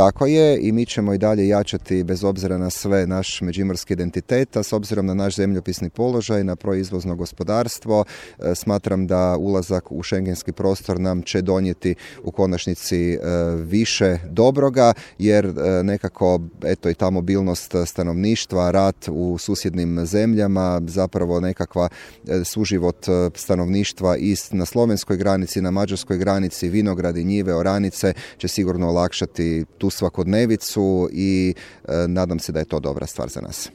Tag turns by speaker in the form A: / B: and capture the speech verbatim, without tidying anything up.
A: Tako je, i mi ćemo i dalje jačati bez obzira na sve naš međimurski identitet, a s obzirom na naš zemljopisni položaj, na proizvozno gospodarstvo, smatram da ulazak u šengenski prostor nam će donijeti u konačnici više dobroga, jer nekako eto i ta mobilnost stanovništva, rad u susjednim zemljama, zapravo nekakva suživot stanovništva i na slovenskoj granici, na mađarskoj granici, vinogradi, njive, oranice će sigurno olakšati tu svakodnevicu i e, nadam se da je to dobra stvar za nas.